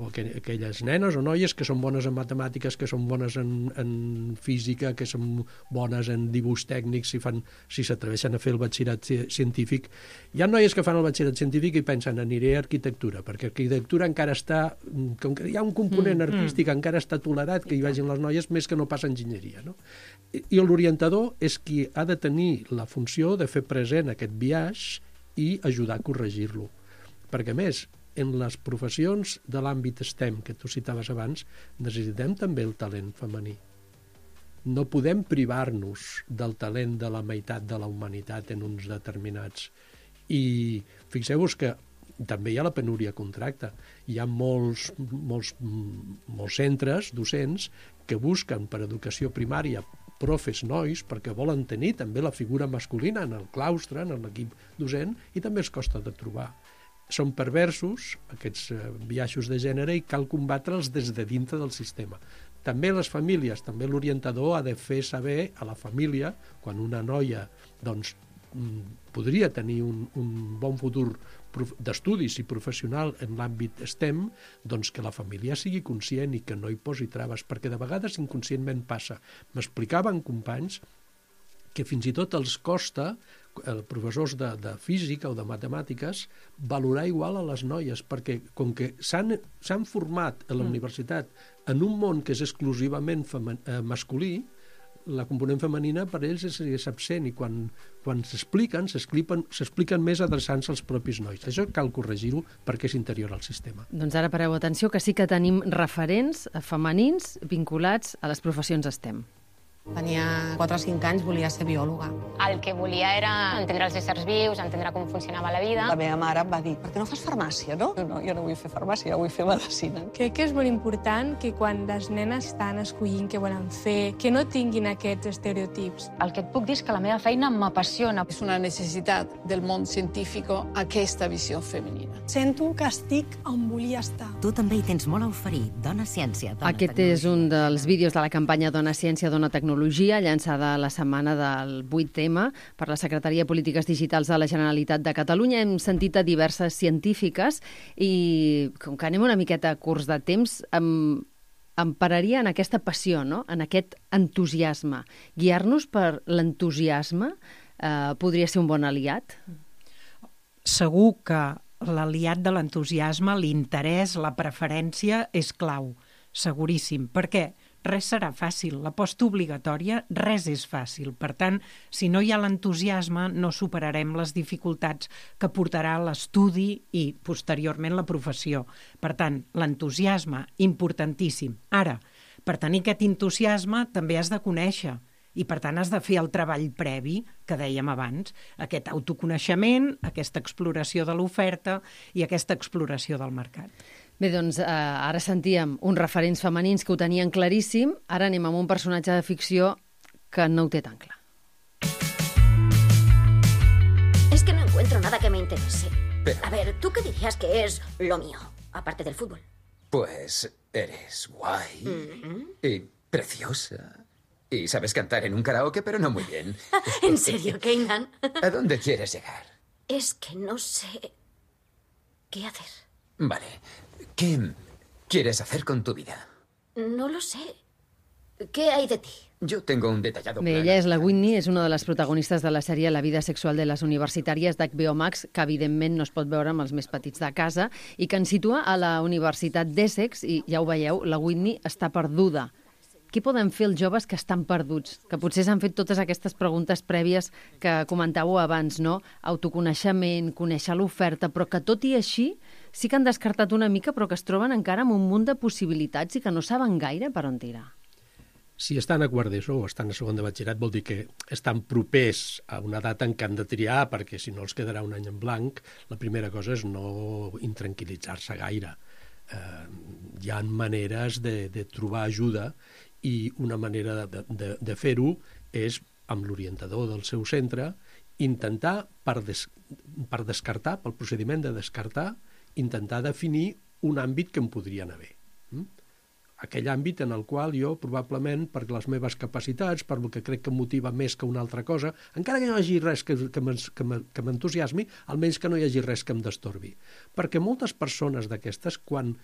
o aquelles nenes o noies que són bones en matemàtiques, que són bones en física, que són bones en dibuix tècnic, si s'atreveixen a fer el batxillerat científic. Hi ha noies que fan el batxillerat científic i pensen aniré a arquitectura, perquè arquitectura encara està, com que hi ha un component artístic, encara està tolerat que hi vagin les noies més que no pas enginyeria, no? I l'orientador és qui ha de tenir la funció de fer present aquest biaix i ajudar a corregir-lo. Perquè, a més, en les professions de l'àmbit STEM que tu citaves abans, necessitem també el talent femení. No podem privar-nos del talent de la meitat de la humanitat en uns determinats. I fixeu-vos que també hi ha la penúria contracte. Hi ha molts centres docents que busquen per educació primària profes nois perquè volen tenir també la figura masculina en el claustre, en l'equip docent, i també els costa de trobar. Són perversos, aquests biaixos de gènere, i cal combatre'ls des de dintre del sistema. També les famílies, també l'orientador ha de fer saber a la família, quan una noia doncs, podria tenir un bon futur d'estudis i professional en l'àmbit STEM, doncs que la família sigui conscient i que no hi posi traves, perquè de vegades inconscientment passa. M'explicaven companys que fins i tot els costa, professors de física o de matemàtiques, valorar igual a les noies, perquè com que s'han format a la universitat en un món que és exclusivament masculí, la component femenina per ells és absent i quan s'expliquen més adreçant-se als propis nois. Això cal corregir-ho perquè és interior al sistema. Doncs ara pareu atenció que sí que tenim referents femenins vinculats a les professions STEM. Tenia 4 o 5 anys, volia ser biòloga. El que volia era entendre els éssers vius, entendre com funcionava la vida. La meva mare em va dir, per què no fas farmàcia, no? No, jo no vull fer farmàcia, vull fer medicina. Crec que és molt important que quan les nenes estan escollint què volen fer, que no tinguin aquests estereotips. El que et puc dir és que la meva feina m'apassiona. És una necessitat del món científic aquesta visió femenina. Sento que estic on volia estar. Tu també hi tens molt a oferir. Dona Ciència, Dona Aquest Tecnologia. és un dels vídeos de la campanya Dona Ciència, Dona Tecnologia, llançada la setmana del 8M per la Secretaria de Polítiques Digitals de la Generalitat de Catalunya. Hem sentit a diverses científiques i, com que anem una miqueta curts de temps, em pararia en aquesta passió, no? En aquest entusiasme. Guiar-nos per l'entusiasme podria ser un bon aliat? Segur que l'aliat de l'entusiasme, l'interès, la preferència és clau, seguríssim. Per què? Res serà fàcil. La postobligatòria, res és fàcil. Per tant, si no hi ha l'entusiasme, no superarem les dificultats que portarà l'estudi i, posteriorment, la professió. Per tant, l'entusiasme, importantíssim. Ara, per tenir aquest entusiasme, també has de conèixer i, per tant, has de fer el treball previ que dèiem abans, aquest autoconeixement, aquesta exploració de l'oferta i aquesta exploració del mercat. Bé, doncs ara sentíem uns referents femenins que ho tenien claríssim, ara anem amb un personatge de ficció que no ho té tan clar. Es que no encuentro nada que me interese. Pero... A ver, ¿tú qué dirías que es lo mío, aparte del fútbol? Pues eres guay y preciosa. Y sabes cantar en un karaoke, pero no muy bien. ¿En serio, Keynan? ¿A dónde quieres llegar? Es que no sé qué hacer. Vale. ¿Qué quieres hacer con tu vida? No lo sé. ¿Qué hay de ti? Yo tengo un detallado Bé, plan. ella és la Whitney, és una de les protagonistes de la sèrie La vida sexual de les universitàries d'HBO Max, que evidentment no es pot veure amb els més petits de casa, i que ens situa a la Universitat d'Essex, i ja ho veieu, la Whitney està perduda. Què poden fer els joves que estan perduts? Que potser s'han fet totes aquestes preguntes prèvies que comentàveu abans, no? Autoconeixement, conèixer l'oferta, però que tot i així sí que han descartat una mica, però que es troben encara amb un munt de possibilitats i que no saben gaire per on tirar. Si estan a quart d'ESO o estan a segon de batxillerat vol dir que estan propers a una data en què han de triar, perquè si no els quedarà un any en blanc. La primera cosa és no intranquil·litzar-se gaire. Hi ha maneres de trobar ajuda i una manera de fer-ho és amb l'orientador del seu centre intentar, per descartar, pel procediment de descartar, intentar definir un àmbit que em podria anar bé. Aquell àmbit en el qual jo, probablement, per les meves capacitats, per el que crec que em motiva més que una altra cosa, encara que no hi hagi res que m'entusiasmi, almenys que no hi hagi res que em destorbi. Perquè moltes persones d'aquestes, quan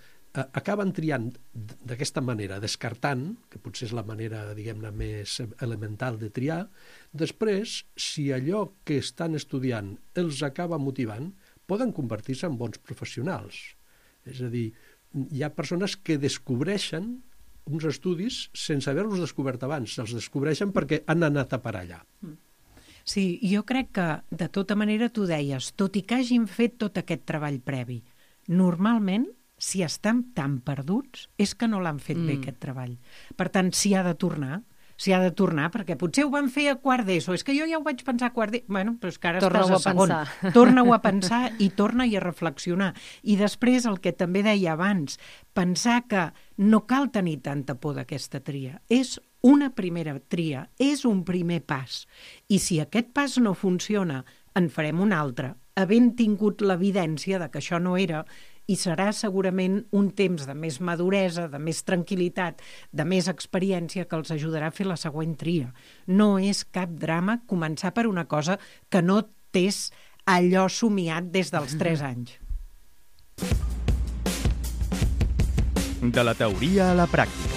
acaben triant d'aquesta manera, descartant, que potser és la manera, diguem-ne, més elemental de triar, després, si allò que estan estudiant els acaba motivant, poden convertir-se en bons professionals. És a dir, hi ha persones que descobreixen uns estudis sense haver-los descobert abans. Els descobreixen perquè han anat a parar allà. Sí, jo crec que, de tota manera, tu deies, tot i que hagin fet tot aquest treball previ, normalment, si estan tan perduts, és que no l'han fet bé, aquest treball. Per tant, s'hi ha de tornar, perquè potser ho van fer a quart d'ESO. És que jo ja ho vaig pensar a quart d'ESO. Bueno, però és que ara estàs a segon. Torna-ho a pensar i torna-hi a reflexionar. I després, el que també deia abans, pensar que no cal tenir tanta por d'aquesta tria. És una primera tria, és un primer pas. I si aquest pas no funciona, en farem un altre, havent tingut l'evidència de que això no era, i serà segurament un temps de més maduresa, de més tranquil·litat, de més experiència que els ajudarà a fer la següent tria. No és cap drama començar per una cosa que no t'és allò somiat des dels 3 anys. De la teoria a la pràctica.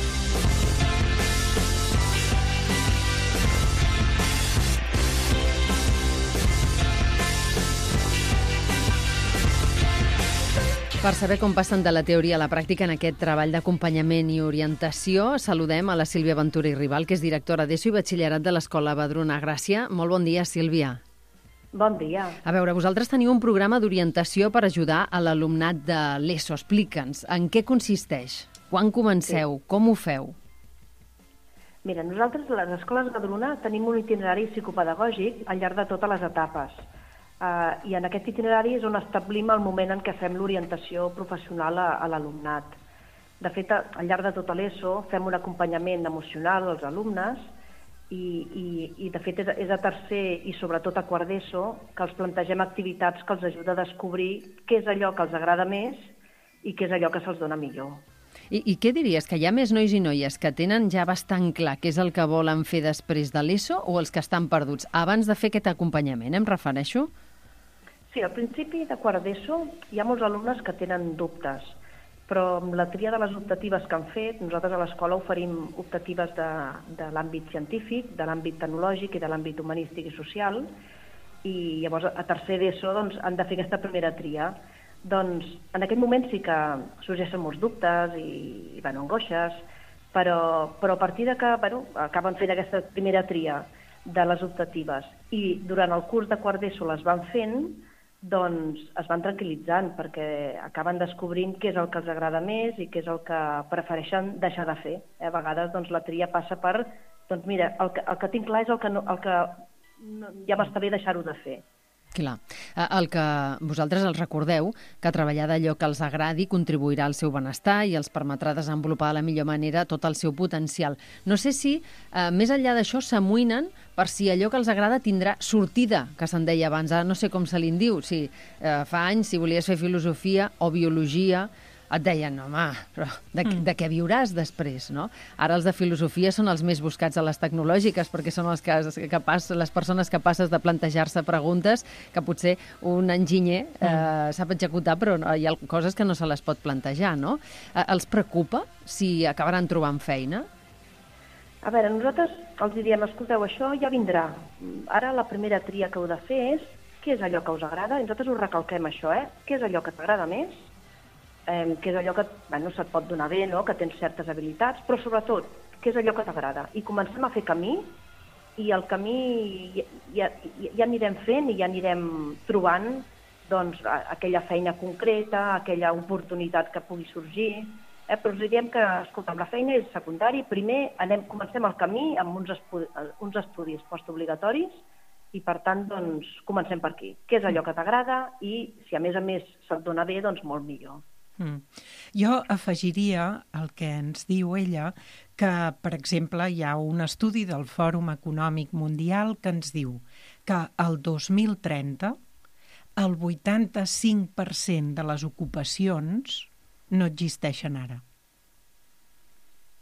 Per saber com passen de la teoria a la pràctica en aquest treball d'acompanyament i orientació, saludem a la Sílvia Ventura i Rival, que és directora d'ESO i batxillerat de l'Escola Badruna Gràcia. Molt bon dia, Sílvia. Bon dia. A veure, vosaltres teniu un programa d'orientació per ajudar a l'alumnat de l'ESO. Explica'ns, en què consisteix? Quan comenceu? Sí. Com ho feu? Mira, nosaltres a les escoles Badruna tenim un itinerari psicopedagògic al llarg de totes les etapes. I en aquest itinerari és on establim el moment en què fem l'orientació professional a l'alumnat. De fet, al llarg de tota l'ESO fem un acompanyament emocional als alumnes i de fet és a tercer i sobretot a quart d'ESO que els plantegem activitats que els ajuda a descobrir què és allò que els agrada més i què és allò que se'ls dona millor. I què diries? Que hi ha més nois i noies que tenen ja bastant clar què és el que volen fer després de l'ESO o els que estan perduts? Abans de fer aquest acompanyament, em refereixo? Sí, al principi de quart d'ESO hi ha molts alumnes que tenen dubtes, però amb la tria de les optatives que han fet, nosaltres a l'escola oferim optatives de l'àmbit científic, de l'àmbit tecnològic i de l'àmbit humanístic i social, i llavors a tercer d'ESO han de fer aquesta primera tria. Doncs en aquest moment sí que sorgeixen molts dubtes i angoixes, però a partir de que acaben fent aquesta primera tria de les optatives i durant el curs de quart d'ESO les van fent, doncs es van tranquil·litzant perquè acaben descobrint què és el que els agrada més i què és el que prefereixen deixar de fer. A vegades la tria passa per, doncs mira, el que tinc clar és el que ja m'està bé deixar-ho de fer. Clar. El que vosaltres els recordeu, que treballar d'allò que els agradi contribuirà al seu benestar i els permetrà desenvolupar de la millor manera tot el seu potencial. No sé si, més enllà d'això, s'amoïnen per si allò que els agrada tindrà sortida, que se'n deia abans. No sé com se li'n diu, si fa anys, si volies fer filosofia o biologia, et deien, home, però de què viuràs després, no? Ara els de filosofia són els més buscats a les tecnològiques, perquè són les persones capaces de plantejar-se preguntes que potser un enginyer sap executar, però hi ha coses que no se les pot plantejar, no? Els preocupa si acabaran trobant feina? A veure, nosaltres els diem, escolteu, això ja vindrà. Ara la primera tria que heu de fer és què és allò que us agrada, i nosaltres us recalquem això, què és allò que t'agrada més, què és allò que se't pot donar bé, no? Que tens certes habilitats, però sobretot, què és allò que t'agrada. I comencem a fer camí, i el camí ja anirem fent i ja anirem trobant doncs, aquella feina concreta, aquella oportunitat que pugui sorgir. Però us diem que, escolta, la feina és secundari, primer comencem el camí amb uns estudis postobligatoris, i per tant, doncs, comencem per aquí. Què és allò que t'agrada i si a més se't dona bé, doncs molt millor. Jo afegiria el que ens diu ella, que, per exemple, hi ha un estudi del Fòrum Econòmic Mundial que ens diu que el 2030 el 85% de les ocupacions no existeixen ara.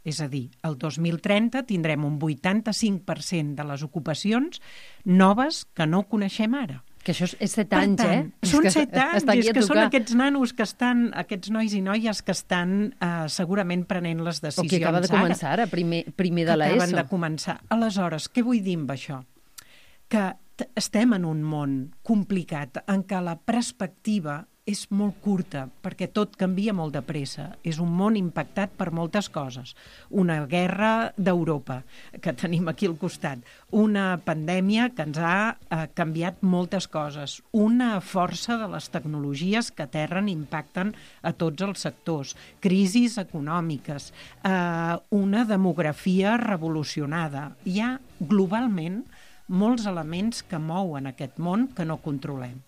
És a dir, el 2030 tindrem un 85% de les ocupacions noves que no coneixem ara. Que això és 7 anys, Són 7 anys, és que són aquests nanos que estan, aquests nois i noies que estan segurament prenent les decisions ara. O que acaba de començar ara, primer de l'ESO. Acaben de començar. Aleshores, què vull dir amb això? Que estem en un món complicat en què la perspectiva és molt curta, perquè tot canvia molt de pressa. És un món impactat per moltes coses. Una guerra d'Europa, que tenim aquí al costat. Una pandèmia que ens ha canviat moltes coses. Una força de les tecnologies que aterren i impacten a tots els sectors. Crisis econòmiques. Una demografia revolucionada. Hi ha, globalment, molts elements que mouen aquest món que no controlem.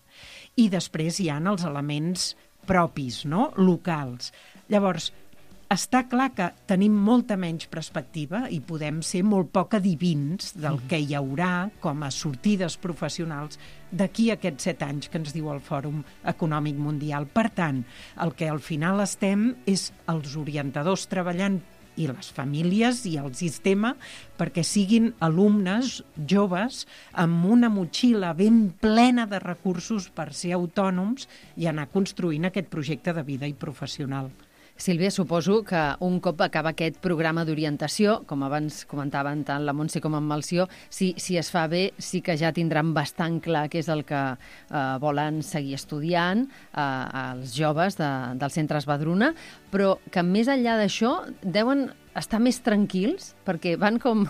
I després hi ha els elements propis, no? Locals. Llavors, està clar que tenim molta menys perspectiva i podem ser molt poc adivins del que hi haurà com a sortides professionals d'aquí a aquests 7 anys que ens diu el Fòrum Econòmic Mundial. Per tant, el que al final estem és els orientadors treballant i les famílies i el sistema perquè siguin alumnes joves amb una motxilla ben plena de recursos per ser autònoms i anar construint aquest projecte de vida i professional. Sílvia, suposo que un cop acaba aquest programa d'orientació, com abans comentaven tant la Montse com en Melcior, si es fa bé, sí que ja tindran bastant clar què és el que volen seguir estudiant els joves dels centres Badruna, però que més enllà d'això deuen estar més tranquils perquè van com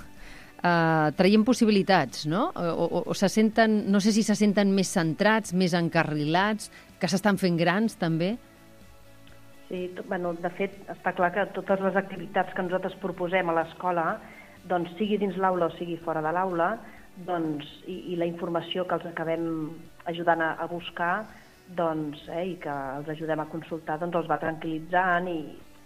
traient possibilitats, no? O se senten, no sé si se senten més centrats, més encarrilats, que s'estan fent grans també. Sí, de fet, està clar que totes les activitats que nosaltres proposem a l'escola, doncs, sigui dins l'aula o sigui fora de l'aula, doncs, i la informació que els acabem ajudant a buscar, doncs, i que els ajudem a consultar, doncs, els va tranquil·litzant i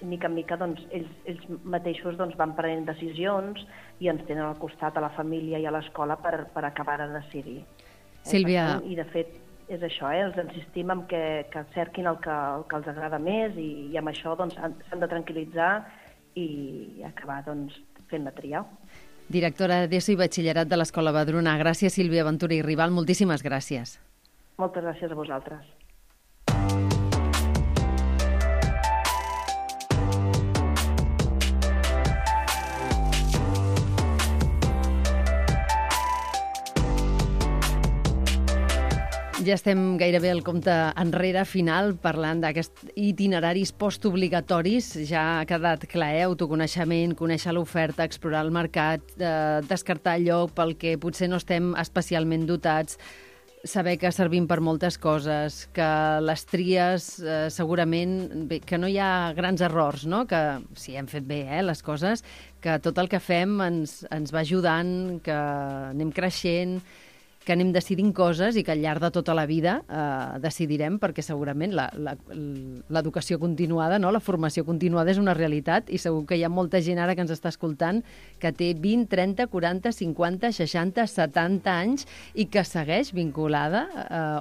mica en mica doncs, ells mateixos doncs, van prenent decisions i ens tenen al costat a la família i a l'escola per acabar de decidir. Sílvia... I, de fet, és això, els insistim en que cerquin el que els agrada més i amb això doncs, s'han de tranquil·litzar i acabar doncs, fent la tria. Directora d'ESO i Batxillerat de l'Escola Badruna. Gràcies, Sílvia Ventura i Rival. Moltíssimes gràcies. Moltes gràcies a vosaltres. Ja estem gairebé al compte enrere final parlant d'aquests itineraris postobligatoris. Ja ha quedat clar, autoconeixement, conèixer l'oferta, explorar el mercat, descartar allò pel que potser no estem especialment dotats, saber que servim per moltes coses, que les tries segurament, bé, que no hi ha grans errors, no? Que si hem fet bé les coses, que tot el que fem ens va ajudant, que anem creixent, que anem decidint coses i que al llarg de tota la vida decidirem, perquè segurament l'educació continuada, no? La formació continuada és una realitat i segur que hi ha molta gent ara que ens està escoltant que té 20, 30, 40, 50, 60, 70 anys i que segueix vinculada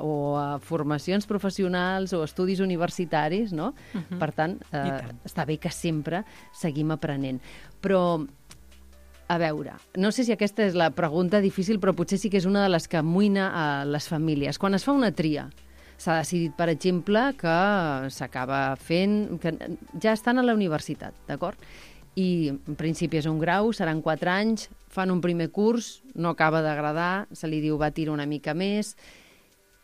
o a formacions professionals o estudis universitaris, no? Per tant, està bé que sempre seguim aprenent. Però, a veure, no sé si aquesta és la pregunta difícil, però potser sí que és una de les que amoïna a les famílies. Quan es fa una tria, s'ha decidit, per exemple, que s'acaba fent... que ja estan a la universitat, d'acord? I en principi és un grau, seran 4 anys, fan un primer curs, no acaba d'agradar, se li diu va tirar una mica més,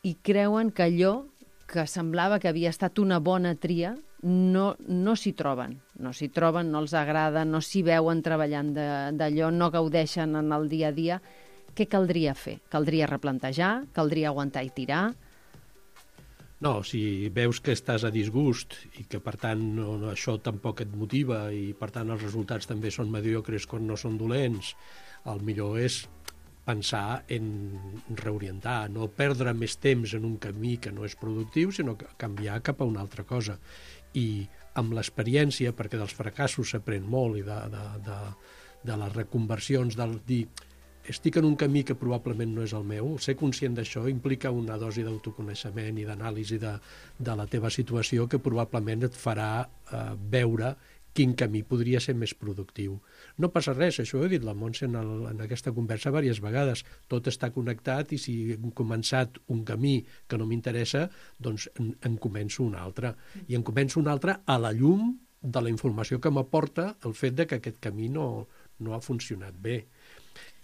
i creuen que allò que semblava que havia estat una bona tria no s'hi troben. No s'hi troben, no els agrada, no s'hi veuen treballant d'allò, no gaudeixen en el dia a dia. Què caldria fer? Caldria replantejar? Caldria aguantar i tirar? No, si veus que estàs a disgust i que, per tant, això tampoc et motiva i, per tant, els resultats també són mediocres quan no són dolents, el millor és pensar en reorientar, no perdre més temps en un camí que no és productiu, sinó canviar cap a una altra cosa. I amb l'experiència, perquè dels fracassos s'aprèn molt i de les reconversions, del dir estic en un camí que probablement no és el meu, ser conscient d'això implica una dosi d'autoconeixement i d'anàlisi de la teva situació que probablement et farà veure quin camí podria ser més productiu. No passa res, això ho he dit la Montse en aquesta conversa diverses vegades. Tot està connectat i si hem començat un camí que no m'interessa, doncs en començo un altre. I en començo un altre a la llum de la informació que m'aporta el fet de que aquest camí no ha funcionat bé.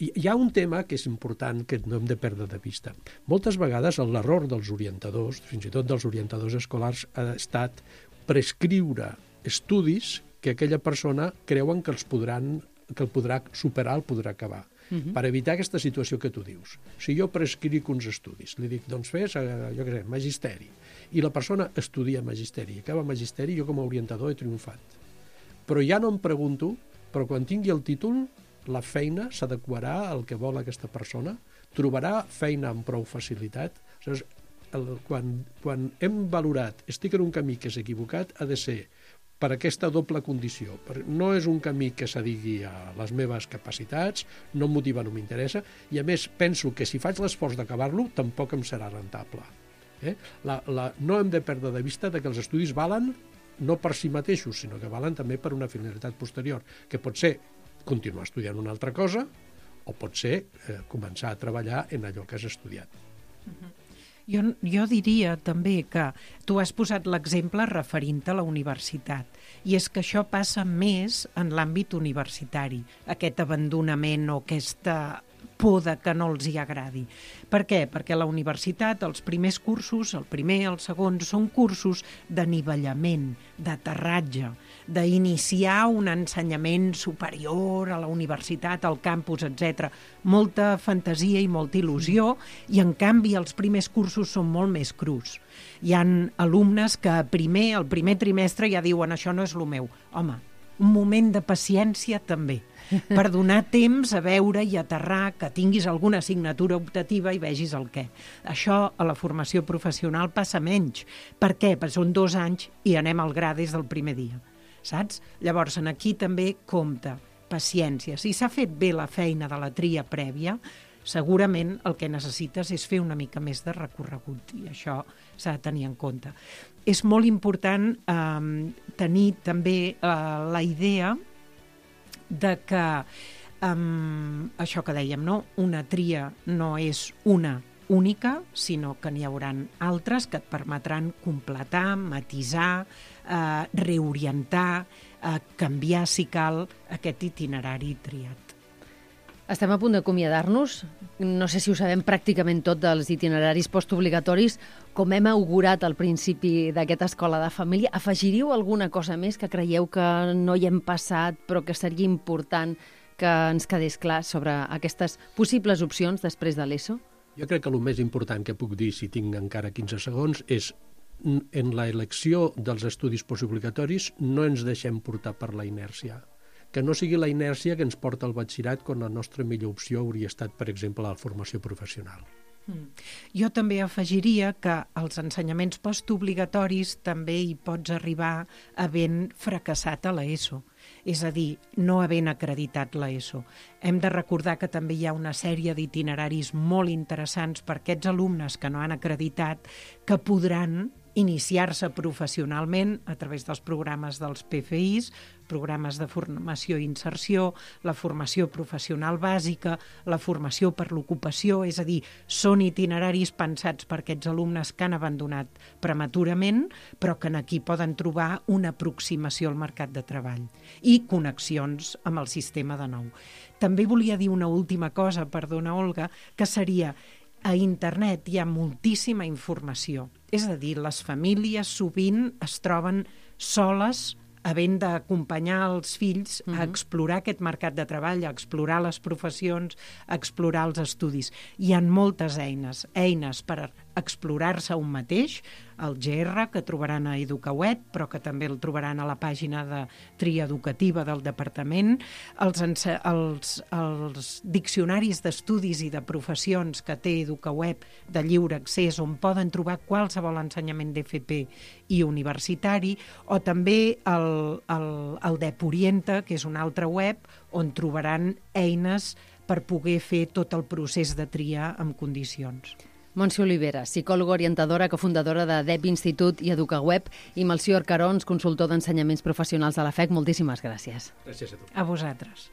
I hi ha un tema que és important que no hem de perdre de vista. Moltes vegades l'error dels orientadors, fins i tot dels orientadors escolars, ha estat prescriure estudis que aquella persona creuen que el podrà superar, el podrà acabar. Per evitar aquesta situació que tu dius. Si jo prescric uns estudis, li dic, doncs fes, jo què sé, magisteri, i la persona estudia magisteri, acaba magisteri, jo com a orientador he triomfat. Però ja no em pregunto, però quan tingui el títol, la feina s'adequarà al que vol aquesta persona? Trobarà feina amb prou facilitat? Quan hem valorat, estic en un camí que és equivocat, ha de ser per aquesta doble condició. No és un camí que s'adigui a les meves capacitats, no em motiva, no m'interessa, i a més penso que si faig l'esforç d'acabar-lo tampoc em serà rentable. No hem de perdre de vista que els estudis valen no per si mateixos, sinó que valen també per una finalitat posterior, que pot ser continuar estudiant una altra cosa o pot ser començar a treballar en allò que has estudiat. Jo diria també que tu has posat l'exemple referint-te a la universitat i és que això passa més en l'àmbit universitari, aquest abandonament o aquesta por de que no els hi agradi. Per què? Perquè a la universitat els primers cursos, el primer i el segon, són cursos d'anivellament, d'aterratge, d'iniciar un ensenyament superior a la universitat, al campus, etc. Molta fantasia i molta il·lusió, i en canvi els primers cursos són molt més crus. Hi ha alumnes que el primer trimestre ja diuen això no és el meu. Home, un moment de paciència també, per donar temps a veure i aterrar, que tinguis alguna assignatura optativa i vegis el què. Això a la formació professional passa menys. Per què? Perquè són 2 anys i anem al gra des del primer dia. Saps? Llavors, aquí també compta paciència. Si s'ha fet bé la feina de la tria prèvia, segurament el que necessites és fer una mica més de recorregut i això s'ha de tenir en compte. És molt important tenir també la idea de que això que dèiem, no? Una tria no és una única, sinó que n'hi haurà altres que et permetran completar, matisar, reorientar, canviar, si cal, aquest itinerari triat. Estem a punt d'acomiadar-nos. No sé si ho sabem pràcticament tot dels itineraris postobligatoris. Com hem augurat al principi d'aquesta escola de família, afegiríeu alguna cosa més que creieu que no hi hem passat però que seria important que ens quedés clar sobre aquestes possibles opcions després de l'ESO? Jo crec que el més important que puc dir, si tinc encara 15 segons, és en l'elecció dels estudis postobligatoris no ens deixem portar per la inèrcia. Que no sigui la inèrcia que ens porta al batxillerat quan la nostra millor opció hauria estat, per exemple, la formació professional. Jo també afegiria que als ensenyaments postobligatoris també hi pots arribar havent fracassat a l'ESO, és a dir, no havent acreditat l'ESO. Hem de recordar que també hi ha una sèrie d'itineraris molt interessants per aquests alumnes que no han acreditat, que podran iniciar-se professionalment a través dels programes dels PFIs, programes de formació i inserció, la formació professional bàsica, la formació per l'ocupació, és a dir, són itineraris pensats per aquests alumnes que han abandonat prematurament, però que aquí poden trobar una aproximació al mercat de treball i connexions amb el sistema de nou. També volia dir una última cosa, perdona, Olga, que seria: a internet hi ha moltíssima informació. És a dir, les famílies sovint es troben soles havent d'acompanyar els fills a explorar aquest mercat de treball, a explorar les professions, a explorar els estudis. Hi ha moltes eines per explorar-se un mateix, el GR, que trobaran a EducaWeb, però que també el trobaran a la pàgina de tria educativa del departament, els diccionaris d'estudis i de professions que té EducaWeb de lliure accés, on poden trobar qualsevol ensenyament d'FP i universitari, o també el DEP Orienta, que és una altra web, on trobaran eines per poder fer tot el procés de tria en condicions. Montse Olivera, psicòloga orientadora, cofundadora de DEP Institut i EducaWeb, i Melcior Carons, consultor d'ensenyaments professionals de la FEC. Moltíssimes gràcies. Gràcies a tu. A vosaltres.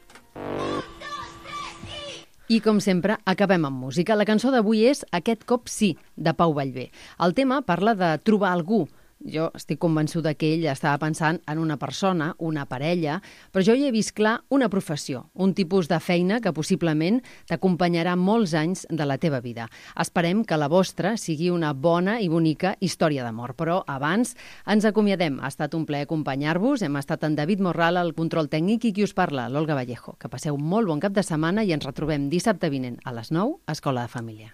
I, com sempre, acabem amb música. La cançó d'avui és Aquest cop sí, de Pau Vallvé. El tema parla de trobar algú. Jo estic convençuda que ell estava pensant en una persona, una parella, però jo hi he vist clar una professió, un tipus de feina que possiblement t'acompanyarà molts anys de la teva vida. Esperem que la vostra sigui una bona i bonica història d'amor, però abans ens acomiadem. Ha estat un plaer acompanyar-vos. Hem estat en David Morral, al control tècnic, i qui us parla, l'Olga Vallejo. Que passeu molt bon cap de setmana i ens retrobem dissabte vinent a les 9 a Escola de Família.